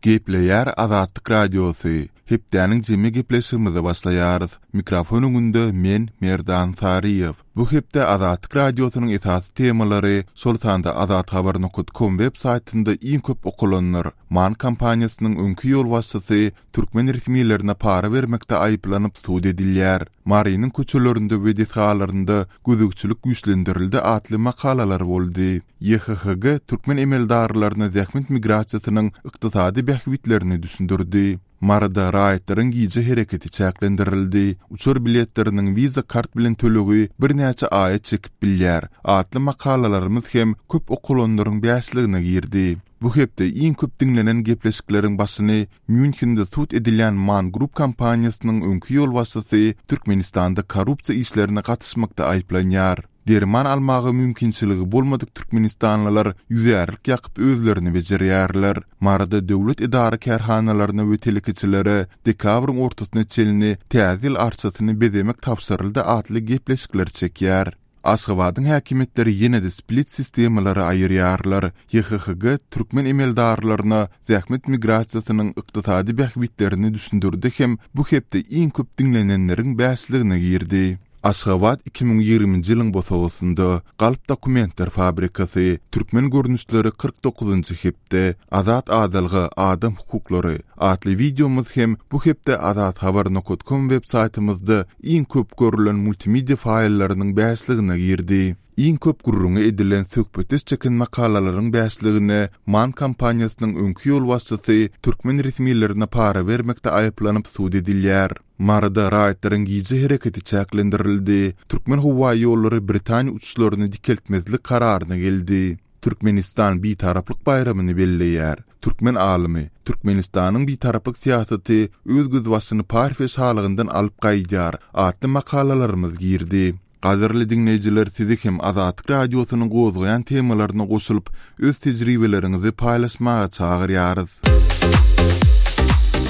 Gepleýär Azatlyk Radiosy, Hepdäniň jemi gepleşigimize başlaýarys. Mikrofon öňünde men, Merdan Saryýew. Bu hepde Azatlyk Radiosynyň esasy temalary, şol sanda azathabar nokat kom web saýtynda iň köp okalanlar, MAN kompaniýasynyň öňki ýolbaşçysy türkmen resmilerine para bermekde aýyplanyp sud edilýär, Marynyň köçelerinde we desgalarynda gözegçilik güýçlendirildi atly makalalar boldy. YHHG türkmen emeldarlaryna zähmet migrasiýasynyň ykdysady bähbitlerini düşündirdi. Maryda raýatlaryň gije hereketi çäklendirildi, uçar biletleriniň Visa kart bilen tölegi birnäçe aýa çekip bilýär atly makalalarymyz hem köp okalanlaryň bäşligine girdi. Bu hepde iň köp diňlenen gepleşikleriň başyny Mýunhende sud edilýän Man Group kompaniýasynyň öňki ýolbaşçysy Türkmenistanda korrupsiýa işlerine gatyşmakda aýyplanýar. Derman almaga mümkinçiligi bolmadyk türkmenistanlylar ýüzärlik ýakyp özlerini bejerýärler. Maryda döwlet edara-kärhanalaryna we telekeçilere dekabryň ortasyna çenli Täze ýyl arçasyny bezemek tabşyryldy atly gepleşikler çekýär. Aşgabadyň häkimiýetleri ýene-de split sistemalary aýyrýarlar. YHHG türkmen emeldarlaryna zähmet migrasiýasynyň ykdysady bähbitlerini düşündirdi hem bu hepde iň köp diňlenenleriň bäşligine girdi. Aşgabat 2020-nji ýylyň bosagasynda, Galp dokumentler fabrikasy, Türkmen görnüşleri 49-njy hepde, Azat adalga, adam hukuklary atly wideomyz hem bu hepde azathabar nokat kom web saýtymyzda iň köp görülen multimedia faýllarynyň bäşligine girdi. Iň köp gürrüňi edilen söhbetdeş çeken makalalaryň bäşligine MAN kompaniýasynyň öňki ýolbaşçysy türkmen resmilerine para bermekde aýyplanyp sud edilýär. Maryda raýatlaryň gije hereketi çäklendirildi. Türkmenhowaýollary Britaniýa uçuşlaryny dikeltmezlik kararyna geldi. Türkmenistan Bitaraplyk baýramyny belleýär. Türkmen alymy, Türkmenistanyň Bitaraplyk syýasaty öz gözbaşyny Parfiýa şalygyndan alyp gaýdýar atly makalalarymyz girdi. Gadyrly diňleýjiler sizi hem Azatlyk Radiosynyň gozgaýan temalaryna goşulyp, öz tejribeleriňizi paýlaşmaga çagyrýarys.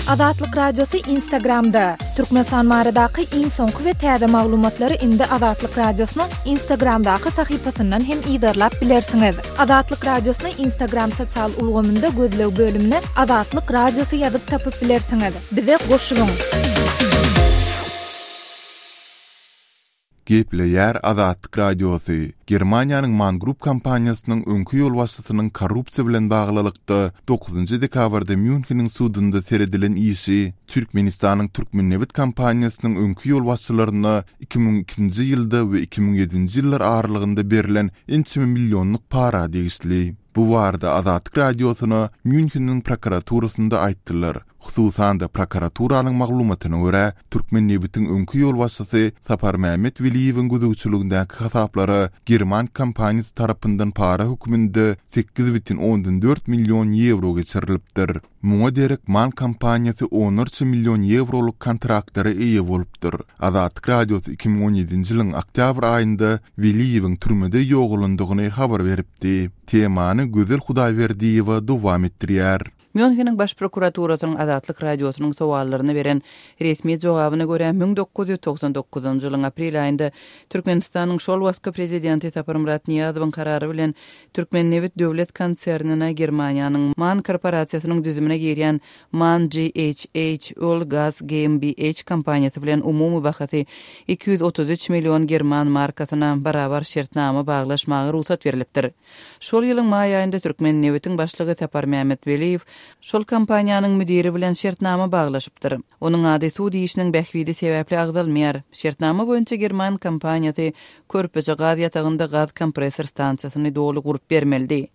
Azatlyk Radiosy Instagramda, Türkmenistan baradaky iň soňky we täze maglumatlary indi Azatlyk Radiosynyň Instagramdaky sahypasyndan hem yzarlap bilersiňiz. Azatlyk Radiosyny Instagram sosial ulgamynda gözleg bölümine Azatlyk Radiosy ýazyp tapyp bilersiňiz. Bize goşulyň! Gepleýär Azatlyk Radiosy, Germaniýanyň Man Group kompaniýasynyň öňki ýolbaşçysynyň korrupsiýa bilen baglylykda dokuzynjy dekabrda Mýunheniň sudunda seredilen işi Türkmenistanyň Türkmennebit kompaniýasynyň öňki ýolbaşçylaryna 2002-nji ýylda we 2007-nji ýyllar aralygynda berlen ençeme millionlyk para degişli. Bu barada Azatlyk Radiosyna Mýunheniň prokuraturasynda aýtdylar. Hususan-da, prokuraturanyň maglumatyna görä, Türkmennebitiň öňki ýolbaşçysy Saparmämmet Weliýewiň gözegçiligindäki hasaplara german kompaniýasy tarapyndan para hökmünde 8,4 million ýewro geçirilipdir. Muňa derek MAN kompaniýasy onlarça million ýewrolyk kontraktlara eýe bolupdyr. Azatlyk Radiosy 2017-nji ýylyň oktýabr aýynda Weliýewiň türmede ýogalandygyny habar beripdi. Temany Gözel Hudaýberdiýewa dowam etdirýär. Mýunheniň Baş prokuraturasynyň Azatlyk Radiosynyň sowallaryna beren resmi jogabyna görä, 1999-njy ýylyň aprel aýynda Türkmenistanyň şol wagtky prezidenti Saparmyrat Nyýazowyň karary bilen Türkmennebit döwlet konsernine Germaniýanyň man korporasiýasynyň düzümine girýän man GHH Öl Gaz GmbH kompaniýasy bilen umumy bahasy 233 million german markasyna barabar şertnama baglaşmaga rugsat berlipdir. Şol ýylyň maý aýynda Türkmennebitiň başlygy Saparmämmet Weliýew şol kompaniýanyň müdiri bilen şertnama baglaşypdyr. Onuň ady sud işiniň bähbidi sebäpli agzalmaýar. Şertnama boýunça german kompaniýasy Körpeje gaz ýatagynda gaz kompressor stansiýasyny doly gurup bermelidi.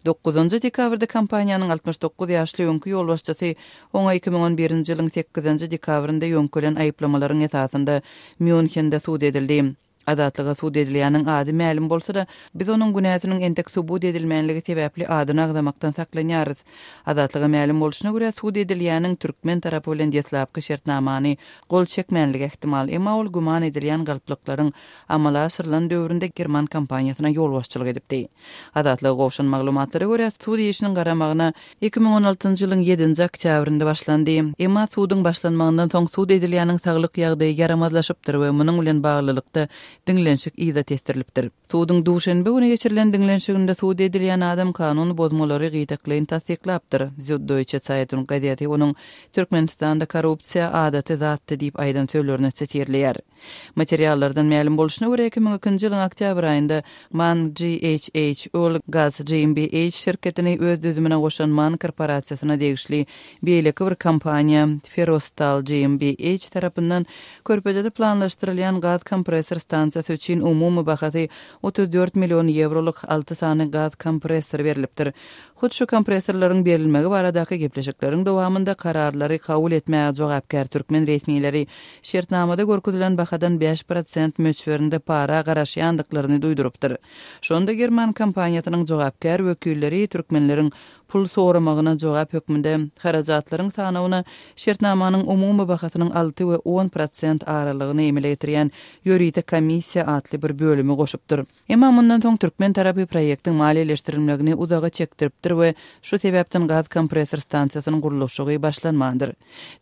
Dokuzynjy dekabrda kompaniýanyň 69 ýaşly öňki ýolbaşçysy oňa 2011-nji ýylyň sekizinji dekabrynda ýöňkelen aýyplamalaryň esasynda Mýunhende sud edildi. Azatlyga sud edilýäniň ady mälim bolsa-da, biz onuň günäsiniň entek subut edilmänligi sebäpli adyny agzamakdan saklanýarys. Azatlyga mälim bolşuna görä, sud edilýäniň türkmen tarapy bilen deslapky şertnamany gol çekmänligi ähtimal, emma ol güman edilýän galplyklaryň amala aşyrylan döwründe german kompaniýasyna ýolbaşçylyk edipdi. Azatlyga gowşan maglumatlara görä, sud işiniň garamagyna 2016-njy ýylyň ýedinji oktýabrynda başlandy. Emma suduň başlanmagyndan soň sud edilýäniň saglyk ýagdaýy ýaramazlaşypdyr we munuň bilen baglylykda. diňlenişik yza tesdirilipdir. Suduň duşenbe güni geçirilen diňlenişiginde sud edilýän adam kanun bozmalary gytaklaýyn tassyklapdyr. Süddeutsche Zeitung gazeti onuň Türkmenistanda korrupsiýa adaty zatdy diýip aýdan sözlerini sitirleýär. Materiallardan mälim bolşuna görä, 2002-nji ýylyň oktýabr aýynda man GHH Öl Gaz GmbH şirketini öz düzümine goşan man korporasiýasyna degişli beýleki bir kompaniýa Ferrostal GmbH tarapyndan Körpejede planlaşdyrylýan gaz kompressor stansiýasy üçin umumy bahasy 34 million ýewrolyk alty sany gaz kompressory berlipdir. Hut şu kompressorlaryň berilmegi baradaky gepleşikleriň dowamynda kararlary kabul etmäge jogapkär türkmen resmileri şertnamada görkezilen bahadan 5 prosent möçberinde para garaşýandyklaryny duýdurypdyr. Şonda german kompaniýasynyň jogapkär wekilleri türkmenleriň pul soramagyna jogap hökmünde harajatlaryň sanawyna şertnamanyň umumy bahasynyň 6 we 10 prosent aralygyny emele getirýän ýörite komissiýa atly bir bölümi goşupdyr. Emma mundan soň türkmen tarapy proýektiň maliýeleşdirilmegini uzaga çekdiripdir we şu sebäpden gaz kompressor stansiýasynyň gurluşygy başlanmandyr.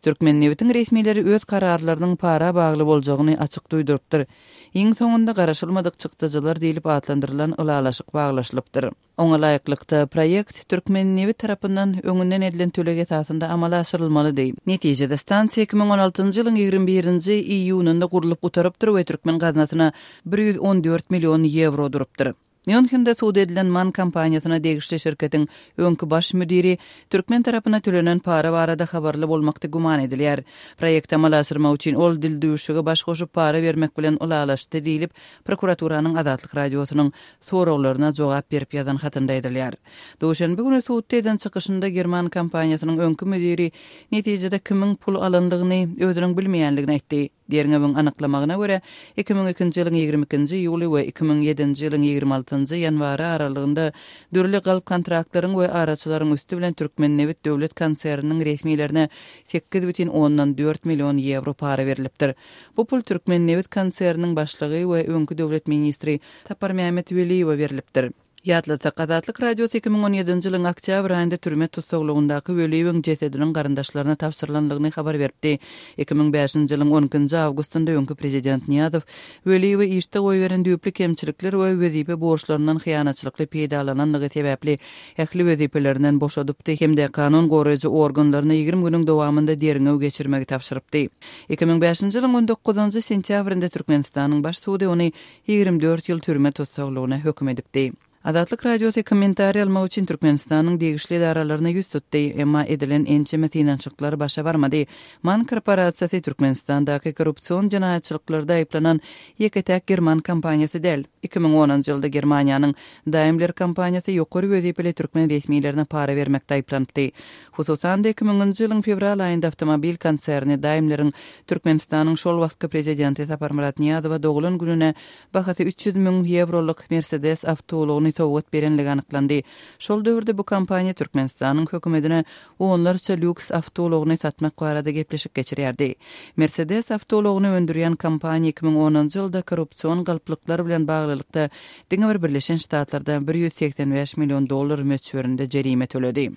Türkmennebitiň resmileri öz kararlarynyň para bagly boljagyny açyk duýdurypdyr. Iň soňunda garaşylmadyk çykdajylar diýlip atlandyrylan ylalaşyk baglaşylypdyr. Oňa laýyklykda, proýekt Türkmennebit tarapyndan öňünden edilen töleg esasynda amala aşyrylmalydy. Netijede, stansiýa 2016-njy ýylyň 21-nji iýunynda gurlup gutarypdyr we türkmen gaznasyna 114 million ýewro durupdyr. Mýunhende sud edilen man kompaniýasyna degişli şirketiň öňki baş müdiri türkmen tarapyna tölenen para barada habarly bolmakda güman edilýär. Proýekti amala aşyrmak üçin ol dildüwşüge baş goşup para bermek bilen ylalaşdy diýlip, prokuraturanyň Azatlyk Radiosynyň soraglaryna jogap berip ýazan hatynda aýdylýar. Duşenbe güni sudda eden çykyşynda german kompaniýasynyň öňki müdiri netijede kimiň pul alandygyny özüniň bilmeýändigini aýtdy. Derňewiň anyklamagyna görä, 2002-nji ýylyň 22-nji iýuly we 2007-nji ýylyň 26-njy ýanwary aralygynda dürli galp kontraktlaryň we araçylaryň üsti bilen Türkmennebit döwlet konserniniň resmilerine 8,4 million ýewro para berlipdir. Bu pul Türkmennebit konserniniň başlygy we öňki döwlet ministri Saparmämmet Weliýewe berlipdir. Ýatlatsak, Azatlyk Radiosy 2017-nji ýylyň oktýabr aýynda türme tussaglygyndaky Weliýewiň jesediniň garyndaşlaryna tabşyrylandygyny habar beripdi. 2005-nji ýylyň on ikinji awgustynda öňki prezident Nyýazow Weliýewi işde goýberen düýpli kemçilikler we wezipe borçlaryndan hyýanatçylykly peýdalananlygy sebäpli ähli wezipelerinden boşadypdy hem-de kanun goraýjy organlaryna 20 günüň dowamynda derňew geçirmegi tabşyrypdy. 2005-nji ýylyň on dokuzynjy sentýabrynda Türkmenistanyň Baş sudy ony 24 ýyl türme tussaglygyna höküm edipdi. Azatlyk Radiosy kommentariý almak üçin Türkmenistanyň degişli edaralaryna ýüz tutdy, emma edilen ençeme synanyşyklar başa barmady. Man korporasiýasy Türkmenistandaky korrupsion jenaýatçylyklarda aýyplanan ýeke-täk german kompaniýasy däl. 2010-njy ýylda Germaniýanyň Daimler kompaniýasy ýokary wezipeli türkmen resmilerine para bermekde aýyplanypdy. Hususan-da, 2000-nji ýylyň fewral aýynda awtomobil konserni Daimleriň Türkmenistanyň şol wagtky prezidenti Saparmyrat Nyýazowa doglan gününe bahasy 300 müň ýewrolyk Mersedes awtoulagyny sowgat berenligi anyklandy. Şol döwürde bu kompaniýa Türkmenistanyň hökümetine onlarça lýuks awtoulagyny satmak barada gepleşik geçirýärdi. Mersedes awtoulagyny öndürýän kompaniýa 2010-njy ýylda korrupsion galplyklar bilen baglylykda diňe bir Birleşen Ştatlarda 185 million dollar möçberinde jerime töledi.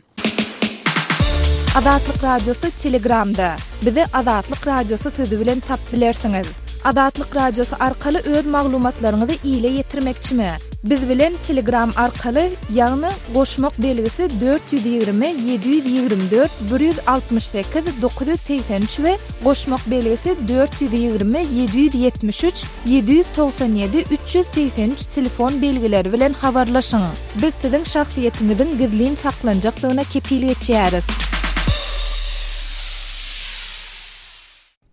Azatlyk Radiosy Telegramda. Bizi Azatlyk Radiosy sözi bilen tap bilersiňiz. Azatlyk Radiosy arkaly öz maglumatlaryňyzy ile ýetirmekçimi? Biz bilen Telegram arkaly, ýagny goşmak belgisi 420 724 168 983 we goşmak belgisi 420 773 797 383 telefon belgileri bilen habarlaşyň. Biz siziň şahsyýetiňiziň gizlin saklanjakdygyna kepil geçýäris.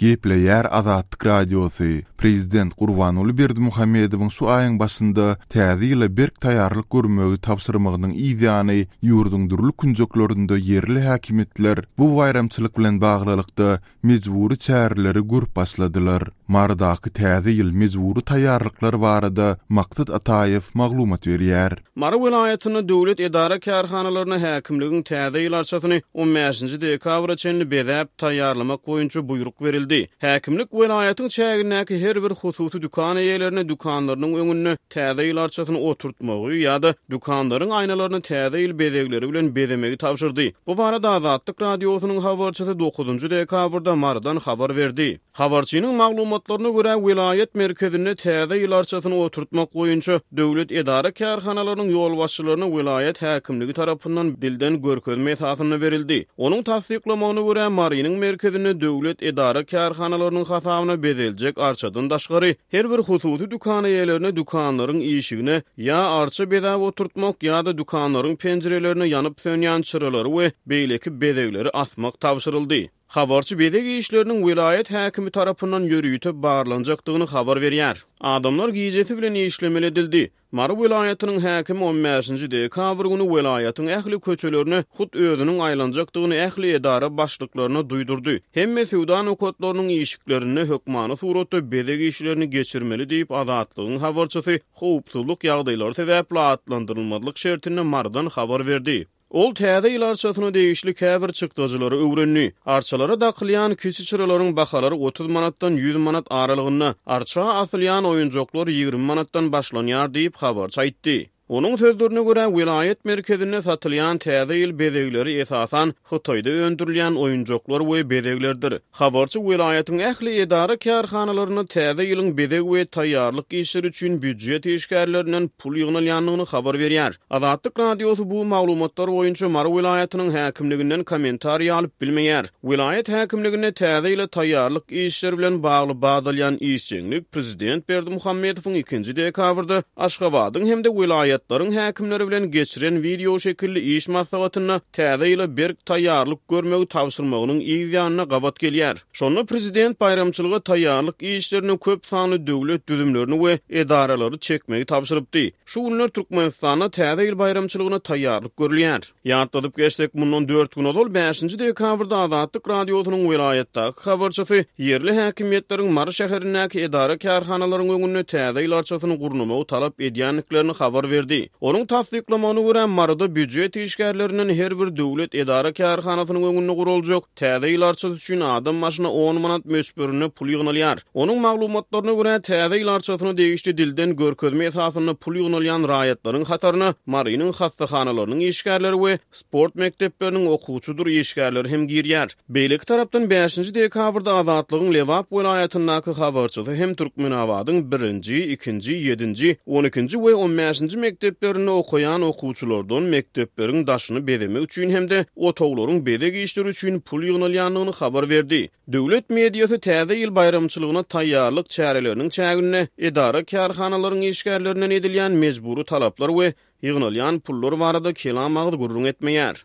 Gepleýär Azatlyk Radiosy, Prezident Gurbanguly Berdimuhamedowyň şu aýyň başynda Täze ýyla berk taýýarlyk görmegi tabşyrmagynyň yz ýany, ýurduň dürli künjeklerinde ýerli häkimiýetler bu baýramçylyk bilen baglylykda mejbury çäreleri görüp başladylar. Marydaky Täze ýyl mejbury taýýarlyklar barada Maksat Ataýew maglumat berýär. Mary welaýatynda döwlet edara-kärhanalaryna häkimligiň Täze ýyl arçasyny on bäşinji dekabra çenli bezäp taýýarlamak boýunça buýruk berildi. edildi. Häkimlik welaýatyň çägindäki her bir hususy dükan eýelerine dükanlarynyň öňünde Täze ýyl arçasyny oturtmagy ýa-da dükanlaryň aýnalaryny Täze ýyl bezegleri bilen bezemegi tabşyrdy. Bu barada Azatlyk Radiosynyň habarçysy dokuzynjy dekabrda Marydan habar berdi. Habarçynyň maglumatlaryna görä, welaýat merkezinde Täze ýyl arçasyny oturtmak boýunça döwlet edara-kärhanalarynyň ýolbaşçylaryna welaýat häkimligi tarapyndan dilden görkezme esasynda berildi. Onuň tassyklamagyna görä, Marynyň merkezinde döwlet edara-kärhanalarynyň hasabyna bezeljek arçadan daşgary, Her bir hususy dükan eýelerine dükanlaryň işigine ýa arça bezäp oturtmak ýa-da dükanlaryň penjirelerine ýanyp-sönýän çyralary we beýleki bezegleri asmak tabşyryldy. Habarçy bezeg işleriniň welaýat häkimi tarapyndan ýörite barlanjakdygyny habar berýär. Adamlar gijesi bilen işlemeli edildi. Mary welaýatynyň häkimi on bäşinji dekabr güni welaýatyň ähli köçelerine hut özüniň aýlanjakdygyny ähli edara başlyklaryna duýdurdy. Hemme söwda nokatlarynyň işiklerinde hökmany suratda bezeg işlerini geçirmeli diýip, Azatlygyň habarçysy howpsuzlyk ýagdaýlary sebäpli atlandyrylmazlyk şertinde Marydan habar berdi. Ol Täze ýyl arçasyna degişli käbir çykdajylary öwrendi. Arçalara dakylýan kiçi çyralaryň bahalary 30 manatdan 100 manat aralygynda, arça asylýan oýunjaklar 20 manatdan başlanýar diýip, habarçy aýtdy. Onuň sözlerine görä, welaýat merkezinde satylýan Täze ýyl bezegleri esasan Hytaýda öndürilýän oýunjaklar we bezeglerdir. Habarçy welaýatyň ähli edara-kärhanalarynda täze ýylyň bezeg we taýýarlyk işleri üçin býujet işgärlerinden pul ýygnalýandygyny habar berýär. Azatlyk Radiosy bu maglumatlar boýunça Mary welaýatynyň häkimliginden kommentariý alyp bilmeýär. Welaýat häkimliginde täze ýyla taýýarlyk işleri bilen bagly bat alýan işjeňlik prezident Berdimuhamedowyň ikinji dekabrda Aşgabadyň hem-de welaýatlaryň häkimleri bilen geçiren wideoşekilli iş maslahatynda Täze ýyla berk taýýarlyk görmegi tabşyrmagynyň yz ýanyna gabat gelýär. Şonda prezident baýramçylyga taýýarlyk işlerine köp sanly döwlet düzümlerini we edaralary çekmegi tabşyrypdy. Şu günler Türkmenistanda Täze ýyl baýramçylygyna taýýarlyk görülýär. Ýatladyp geçsek, mundan dört gün ozal, bäşinji dekabrda Azatlyk Radiosynyň welaýatdaky habarçysy ýerli häkimiýetleriň Mary şäherindäki edara-kärhanalaryň öňünde Täze ýyl arçasyny gurnamagy talap edýändiklerini habar berdi. Onuň tassyklamagyna görä, Maryda býujet işgärlerinden her bir döwlet edara-kärhanasynyň öňünde guraljak Täze ýyl arçasy üçin adam başyna on manat möçberinde pul ýygnalýar. Onuň maglumatlaryna görä, Täze ýyl arçasyna degişli dilden görkezme esasynda pul ýygnalýan raýatlaryň hataryna Marynyň hassahanalarynyň işgärleri we sport mekdepleriniň okuwçydyr işgärleri hem girýär. Beýleki tarapdan, bäşinji dekabrda Azatlygyň Lebap welaýatyndaky habarçysy hem Türkmenabadyň birinji, ikinji, ýedinji, on ikinji we on bäşinji mekdeplerinde okaýan okuwçylardan mekdepleriň daşyny bezemek üçin hem-de otaglaryň bezeg işleri üçin pul ýygnalýandygyny habar berdi. Döwlet mediasy Täze ýyl baýramçylygyna taýýarlyk çäreleriniň çäginde edara-kärhanalaryň işgärlerinden edilýän mejbury talaplar we ýygnalýan pullar barada kelam agyz gürrüň etmeýär.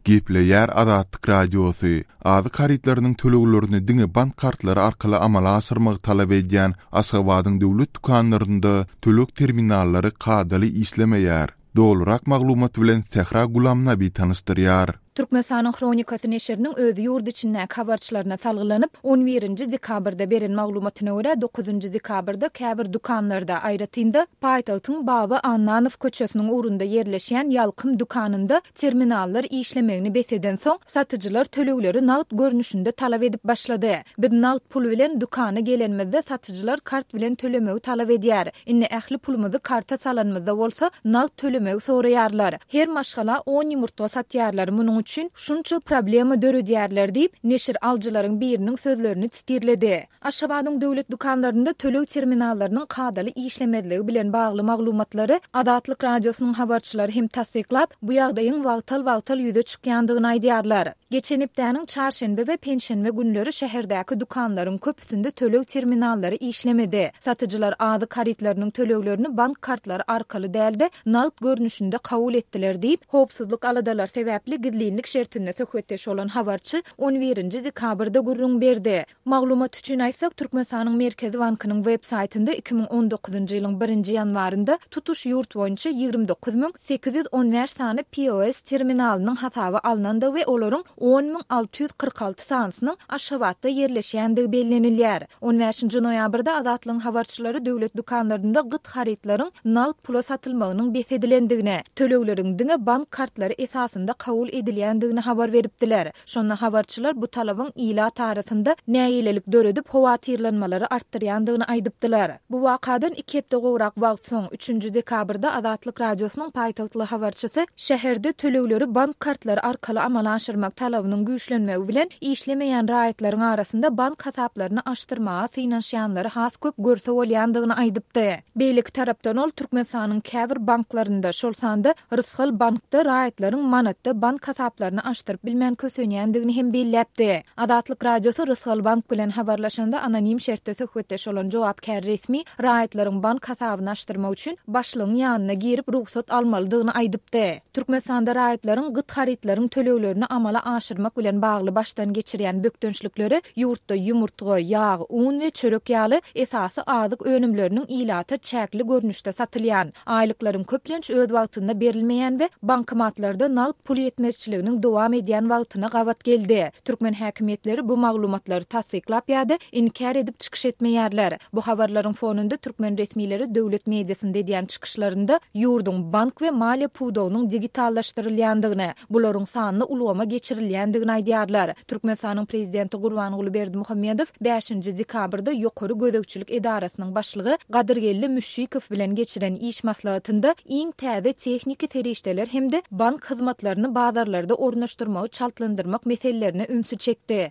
Gepleýär Azatlyk Radiosy, Azyk harytlarynyň töleglerini diňe bank kartlary arkaly amala aşyrmagy talap edýän Aşgabadyň döwlet dükanlarynda töleg terminallary kadaly işlemeýär. Dolurak maglumat bilen Sähra Gulamnabi tanyşdyrýar. Türkmenistanyň Hronikasy neşiriniň öz ýurt içindäki habarçylaryna salgylanyp, on birinji dekabrda beren maglumatyna görä, dokuzynjy dekabrda käbir dükanlarda, aýratyn-da, paýtagtyň Baba Annanow köçesiniň ugrunda ýerleşýän Ýalkym dükanynda terminallar işlemegini bes edensoň, satyjylar tölegleri nagt görnüşinde talap edip başlady. Biz nagt pul bilen dükana gelenimizde satyjylar kart bilen tölemegi talap edýär. Indi ähli pulumyzy karta salanymyzda bolsa, nagt tölemegi soraýarlar. Her maşgala on ýumurtga satýarlar, munuň üçin şunça problema döredýärler diýip, neşir alyjylaryň biriniň sözlerini sitirledi. Aşgabadyň döwlet dükanlarynda töleg terminallarynyň kadaly işlemezligi bilen bagly maglumatlary Azatlyk Radiosynyň habarçylary hem tassyklap, bu ýagdaýyň wagtal-wagtal ýüze çykýandygyny aýdýarlar. Geçen hepdäniň çarşenbe we penşenbe günleri şäherdäki dükanlaryň köpüsinde töleg terminallary işlemedi. Satyjylar azyk harytlarynyň töleglerini bank kartlary arkaly däl-de, nagt görnüşinde kabul etdiler diýip, howpsuzlyk aladalary sebäpli gizlinlik şertinde söhbetdeş bolan habarçy on birinji dekabrda gürrüň berdi. Maglumat üçin aýtsak, Türkmenistanyň Merkezi bankynyň web saýtynda 2019-njy ýylyň birinji ýanwarynda tutuş ýurt boýunça 29 815 sany POS terminalynyň hasaba alnandygy we olaryň. 10 646 sanysynyň Aşgabatda ýerleşýändigi bellenilýär. On bäşinji noýabrda Azatlygyň habarçylary döwlet dükanlarynda gyt harytlaryň nagt pula satylmagynyň bes edilendigini, tölegleriň diňe bank kartlary esasynda kabul edilýändigini habar beripdiler. Şonda habarçylar bu talabyň ilat arasynda nägilelik döredip, howatyrlanmalary artdyrýandygyny aýdypdylar. Bu wakadan iki hepde gowrak wagt soň, üçünji dekabrda Azatlyk Radiosynyň paýtagtly habarçysy şäherde tölegleri bank kartlary arkaly amala aşyrmak talabynyň güýçlenmegi bilen, işlemeýän raýatlaryň arasynda bank hasaplaryny açdyrmaga synanyşýanlary has köp görse bolýandygyny aýdypdy. Beýleki tarapdan ol Türkmenistanyň käbir banklarynda, şol sanda Rysgal bankda raýatlaryň manatda bank hasaplaryny açdyryp bilmän kösenýändigini hem belläpdi. Azatlyk Radiosy Rysgal bank bilen habarlaşanda anonim şertde söhbetdeş bolan jogapkär resmi raýatlaryň bank hasabyny açdyrmak üçin başlygyň ýanyna girip rugsat almalydygyny aýdypdy. Türkmenistanda raýatlaryň gyt harytlaryň töleglerini amala aşyrmak bilen bagly başdan geçirýän bökdençlikleri ýurtda ýumurtga, ýag, un we çörek ýaly esasy azyk önümleriniň ilata çäkli görnüşde satylýan, aýlyklaryň köplenç öz wagtynda berilmeýän we bankomatlarda nagt pul ýetmezçiliginiň dowam edýän wagtyna gabat geldi. Türkmen häkimiýetleri bu maglumatlary tassyklap ýa-da inkär edip çykyş etmeýärler. Bu habarlaryň fonunda türkmen resmileri döwlet mediasynda edýän çykyşlarynda ýurduň bank we maliýe pudagynyň digitallaşdyrylýandygyny, bularyň sanly ulgama geçirilýändigini aýdýarlar. Türkmenistanyň prezidenti Gurbanguly Berdimuhamedow bäşinji dekabrda Ýokary gözegçilik edarasynyň başlygy Gadyrgeldi Müşşikow bilen geçiren iş maslahatynda iň täze tehniki serişdeler hem-de bank hyzmatlaryny bazarlarda ornaşdyrmagy çaltlandyrmak meselelerine ünsi çekdi.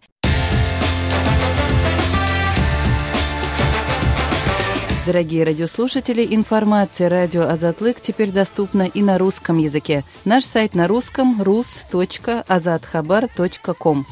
Дорогие радиослушатели, информация радио Азатлык теперь доступна и на русском языке. Наш сайт на русском rus.azathabar.com.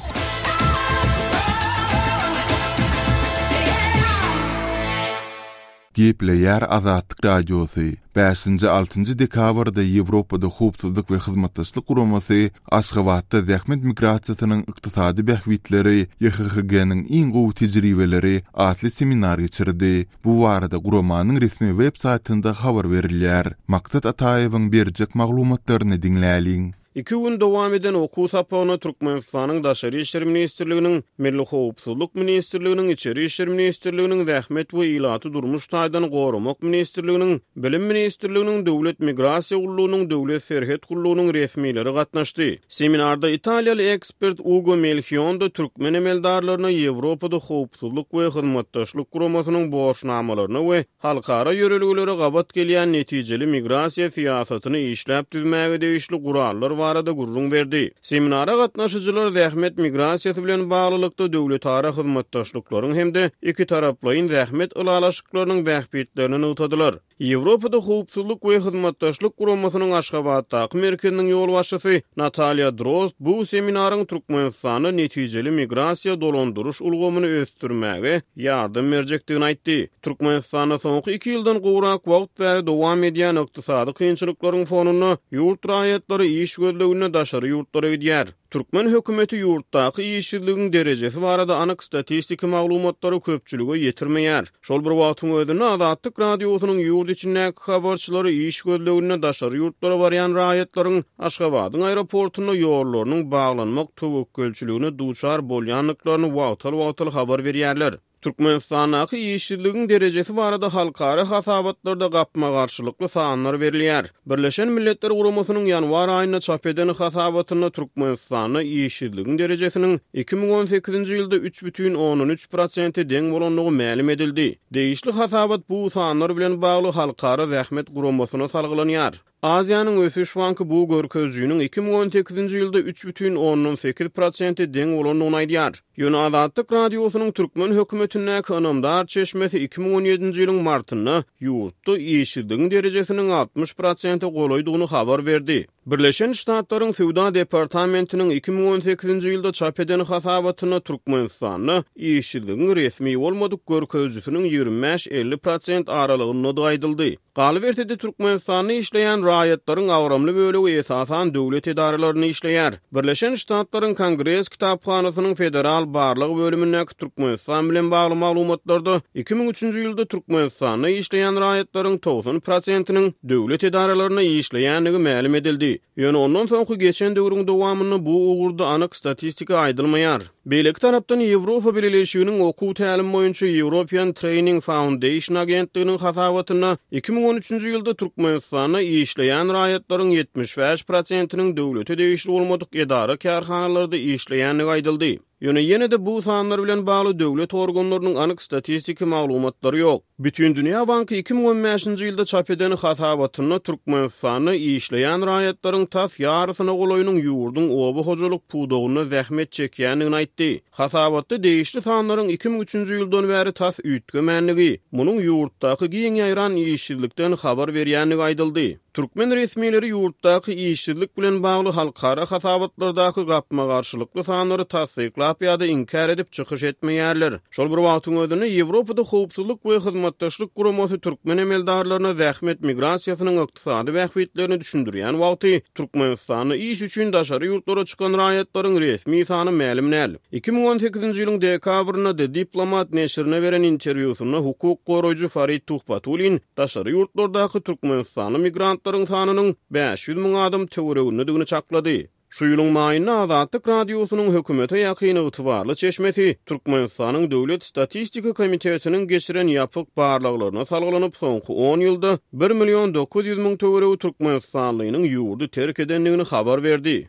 Gepleýär Azatlyk Radiosy, Bäşinji, altynjy dekabrda Ýewropada Howpsuzlyk we Hyzmatdaşlyk Guramasy Aşgabatda Zähmet migrasiýasynyň ykdysady bähbitleri, YHHG-niň iň gowy tejribeleri atly seminar geçirdi. Bu barada guramanyň resmi web saýtynda habar berilýär. Maksat Ataýewiň berjek maglumatlaryny diňläliň. Iki gün dowam eden okuw sapagyna Türkmenistanyň Daşary işler ministrliginiň, Milli howpsuzlyk ministrliginiň, Içeri işler ministrliginiň, Zähmet we ilaty durmuş taýdan goramak ministrliginiň, Bilim ministrliginiň, Döwlet migrasiýa gullugynyň, Döwlet serhet gullugynyň resmileri gatnaşdy. Seminarda italiýaly ekspert Ugo Melhionda türkmen emeldarlaryna Ýewropada Howpsuzlyk we Hyzmatdaşlyk Guramasynyň borçnamalaryna we halkara ýörelgelere gabat gelýän netijeli migrasiýa syýasatyny işläp düzmäge degişli gurallar barada gürrüň berdi. Seminara gatnaşyjylar zähmet migrasiýasy bilen baglylykda döwletara hyzmatdaşlyklaryň hem-de ikitaraplaýyn zähmet ylalaşyklarynyň bähbitlerini nygtadylar. Ýewropada Howpsuzlyk we Hyzmatdaşlyk Guramasynyň Aşgabatdaky merkeziniň ýolbaşçysy Natalýa Drozd bu seminaryň Türkmenistanda netijeli migrasiýa dolandyryş ulgamyny ösdürmäge ýardam berjekdigini aýtdy. Türkmenistanda soňky iki ýyldan gowrak wagt bäri dowam edýän ykdysady kynçylyklaryň fonunda ýurt raýatlary iş gözleginde daşary ýurtlara gidýär. Türkmen hökümeti ýurtdaky işsizligiň derejesi barada anyk statistiki maglumatlary köpçülige ýetirmeýär. Şol bir wagtyň özünde Azatlyk Radiosynyň ýurt içindäki habarçylary iş gözleginde daşary ýurtlara barýan raýatlaryň Aşgabadyň aeroportunda ýollarynyň baglanmak töwekgelçiligine duçar bolýandyklaryny wagtal-wagtal habar berýärler. Türkmenistandaky işsizligiň derejesi barada halkara hasabatlarda gapma-garşylykly sanlar berilýär. Birleşen Milletler Guramasynyň ýanwar aýynda çap eden hasabatynda Türkmenistanda işsizligiň derejesiniň 2018-nji ýylda 3,3 prosente deň bolandygy mälim edildi. Degişli hasabat bu sanlar bilen bagly Halkara zähmet guramasyna salgylanýar. Aziýanyň ösüş banky bu görkezijiniň 2018-nji ýylda 3,8 prosente deň bolandygyny aýdýar. Ýöne Azatlyk Radiosynyň türkmen hökümetindäki ynamdar çeşmesi 2017-nji ýylyň martynda ýurtda işsizligiň derejesiniň 60 prosente golaýdygyny habar berdi. Birleşen Ştatlaryň Söwda departamentiniň 2018-nji ýylda çap eden hasabatynda Türkmenistanda işsizligiň resmi bolmadyk görkezijisiniň 25-50 prosent aralygyndadygy aýdyldy. Galyberse-de, Türkmenistanda işleýän. raýatlaryň agramly bölegi esasan döwlet edaralarynda işleýär. Birleşen Ştatlaryň Kongres kitaphanasynyň Federal barlag bölümindäki Türkmenistan bilen bagly maglumatlarda 2003-nji ýylda Türkmenistanda işleýän raýatlaryň 90 prosentiniň döwlet edaralarynda işleýändigi mälim edildi. Ýöne ondan soňky geçen döwrüň dowamynda bu ugurda anyk statistika aýdylmaýar. Beýleki tarapdan, Ýewropa Bileleşiginiň okuw-tälim boýunça European Training Foundation agentliginiň hasabatynda 2013-nji ýylda Türkmenistanda işleýän raýatlaryň 75 prosentiniň döwlete degişli bolmadyk edara-kärhanalarda işleýändigi aýdyldy. Ýöne ýene-de bu sanlar bilen bagly döwlet organlarynyň anyk statistiki maglumatlary ýok. Bütindünýä banky 2015-nji ýylda çap eden hasabatynda Türkmenistanda işleýän raýatlaryň tas ýarysyna golaýynyň ýurduň oba hojalyk pudagynda zähmet çekýändigini aýtdy. Hasabatda degişli sanlaryň 2003-nji ýyldan bäri tas üýtgemändigi, munuň ýurtdaky giň ýaýran işsizlikden habar berýändigi aýdyldy. Türkmen resmileri ýurtdaky işsizlik bilen bagly halkara hasabatlardaky gapma-garşylykly sanlary tassyklap ýa-da inkär edip çykyş etmeýärler. Şol bir wagtyň özünde, Ýewropada Howpsuzlyk we Hyzmatdaşlyk Guramasy türkmen emeldarlaryna zähmet migrasiýasynyň ykdysady bähbitlerini düşündirýän wagty, Türkmenistanda iş üçin daşary ýurtlara çykan raýatlaryň resmi sany mälim däl. 2018-nji ýylyň dekabrynda The Diplomat neşirine beren interwýusynda hukuk goraýjy Farid Tuhbatullin daşary ýurtlardaky türkmenistanly migrantlaryň sanynyň 500 müň adam töweregindedigini çaklady. Şu ýylyň maýynda Azatlyk Radiosynyň hökümete ýakyn ygtybarly çeşmesi Türkmenistanyň Döwlet statistika komitetiniň geçiren ýapyk barlaglaryna salgylanyp, soňky on ýylda bir million 900 müň töweregi türkmenistanlynyň ýurdy terk edendigini habar berdi.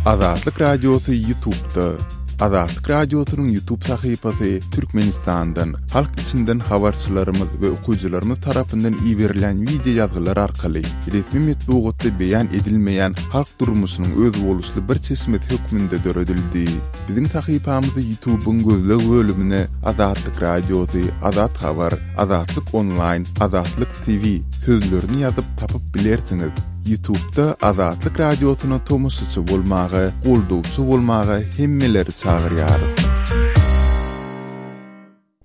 Azatlyk Radiosy Ýutubda. Azatlyk Radiosynyň Ýutub sahypasy Türkmenistandan, halk içinden habarçylarymyz we okyjylarymyz tarapyndan iberilýän wideo ýazgylar arkaly resmi metbugatda beýan edilmeýän halk durmuşynyň özboluşly bir çeşmesi hökmünde döredildi. Biziň sahypamyzy Ýutubyň gözleg bölümine Azatlyk Radiosy, Azat Habar, Azatlyk Onlaýn, Azatlyk TV sözlerini ýazyp tapyp bilersiňiz. Ýutubda Azatlyk Radiosyna tomaşaçy bolmaga, goldawçy bolmaga hemmeleri çagyrýarys.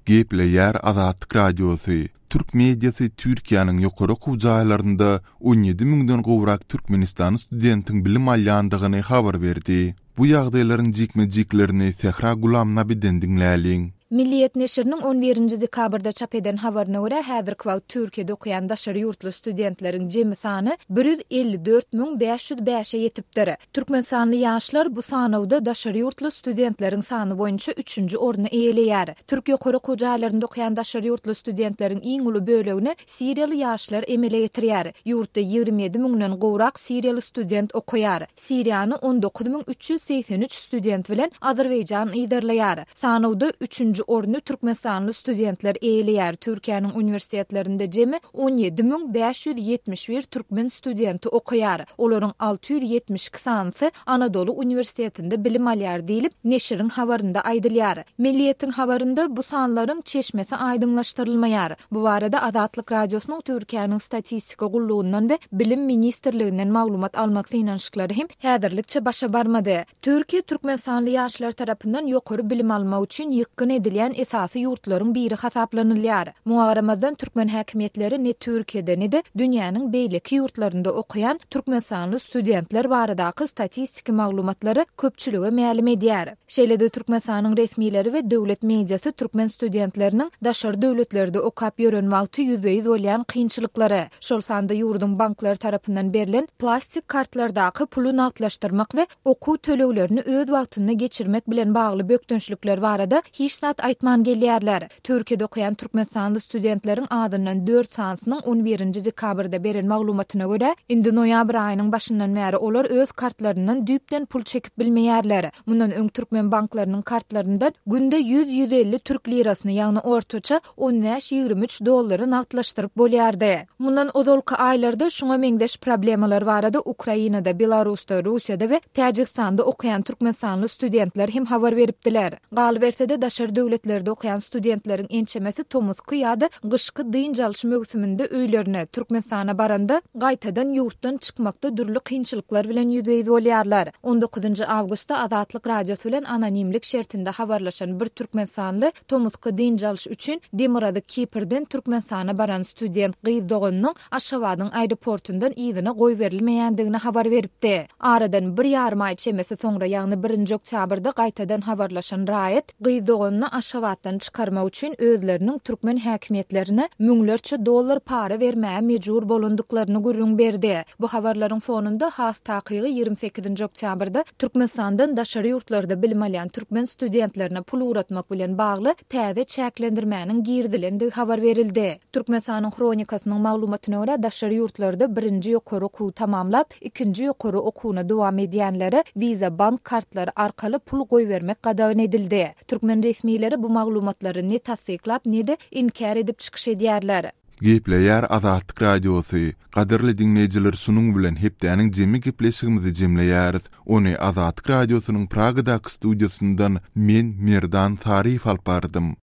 Gepleýär Azatlyk Radiosy, Türk mediasy Türkiýäniň ýokary okuw jaýlarynda 17 müňden gowrak türkmenistanly studentiň bilim alýandygyny habar berdi. Bu ýagdaýlaryň jikme-jiklerini Sähra Gulamnabiden diňläliň. Milliýet neşiriniň on birinji dekabrda çap eden habaryna görä, häzirki wagt Türkiýede okaýan daşary ýurtly studentleriň jemi sany 154 505-e ýetipdir. Türkmenistanly ýaşlar bu sanawda daşary ýurtly studentleriň sany boýunça üçünji orny eýeleýär. Türk ýokary okuw jaýlarynda okaýan daşary ýurtly studentleriň iň uly bölegini siriýaly ýaşlar emele getirýär. Ýurtda 27 müňden gowrak siriýaly student okaýar. Siriýany 19 383 student bilen Azerbaýjan yzarlaýar. Sanawda üçünji orny türkmenistanly studentler eýeleýär, Türkiýäniň uniwersitetlerinde jemi 17 571 türkmen studenti okaýar, olaryň 672 sanysy Anadoly uniwersitetinde bilim alýar diýlip, neşiriň habarynda aýdylýar. Milliýetiň habarynda bu sanlaryň çeşmesi aýdyňlaşdyrylmaýar. Bu barada Azatlyk Radiosynyň Türkiýäniň Statistika gullugyndan we Bilim ministrliginden maglumat almak synanyşyklary hem häzirlikçe başa barmady. Türkiýe türkmenistanly ýaşlar tarapyndan ýokary bilim almak üçin ýykgyn edilýän esasy ýurtlaryň biri hasaplanylýar. Muňa garamazdan, türkmen häkimiýetleri ne Türkiýede, ne-de dünýäniň beýleki ýurtlarynda okaýan türkmenistanly studentler baradaky statistiki maglumatlary köpçülige mälim edýär. Şeýle-de Türkmenistanyň resmileri we döwlet mediasy türkmen studentleriniň daşary döwletlerde okap ýören wagty ýüzbe-ýüz bolýan kynçylyklary, şol sanda ýurduň banklary tarapyndan berlen plastik kartlardaky puly nagtlaşdyrmak we okuw töleglerini öz wagtynda geçirmek bilen bagly bökdençlikler barada hiç zat aýtman gelýärler. Türkiýede okaýan türkmenistanly studentleriň azyndan dört sanysynyň on birinji dekabrda beren maglumatyna görä, indi noýabr aýynyň başyndan bäri olar öz kartlaryndan düýpden pul çekip bilmeýärler. Mundan öň türkmen banklarynyň kartlaryndan günde ýüz-ýüz elli türk lirasyny, ýagny ortaça on bäş-ýigrimi üç dollary nagtlaşdyryp bolýardy. Mundan ozalky aýlarda şuňa meňzeş problemalar barada Ukrainada, Belarusda, Russiýada we Täjigistanda okaýan türkmenistanly studentler hem habar beripdiler. Galyberse-de, daşary. döwletlerde okaýan studentleriň ençemesi tomusky ýa-da gyşky dynç alyş möwsüminde öýlerine, Türkmenistana baranda, gaýtadan ýurtdan çykmakda dürli kynçylyklar bilen ýüzbe-ýüz bolýarlar. On dokuzynjy awgustda Azatlyk Radiosy bilen anonimlik şertinde habarlaşan bir türkmenistanly tomusky dynç alyş üçin Demirgazyk Kiprden Türkmenistana baran student gyz doganynyň Aşgabadyň aeroportundan yzyna goýberilmeýändigini habar beripdi. Aradan bir ýarym aý çemesi soňra, ýagny birinji oktýabrda gaýtadan habarlaşan raýat gyz doganyny Aşgabatdan çykarmak üçin özleriniň türkmen häkimiýetlerine müňlerçe dollar para bermäge mejbur bolandyklaryny gürrüň berdi. Bu habarlaryň fonunda, has takygy 28-nji oktýabrda Türkmenistandan daşary ýurtlarda bilim alýan türkmen studentlerine pul ugratmak bilen bagly täze çäklendirmäniň girizilendigi habar berildi. Türkmenistanyň Hronikasynyň maglumatyna görä, daşary ýurtlarda birinji ýokary okuwy tamamlap, ikinji ýokary okuwyna dowam edýänlere Visa bank kartlary arkaly pul goýbermek gadagan edildi. Türkmen resmileri bu maglumatlary ne tassyklap, ne-de inkär edip çykyş edýärler. Gepleýär Azatlyk Radiosy. Gadyrly diňleýjiler şunuň bilen hepdäniň jemi gepleşigimizi jemleýäris. Ony Azatlyk Radiosynyň Pragadaky studiýasyndan men Merdan Saryýew alyp bardym.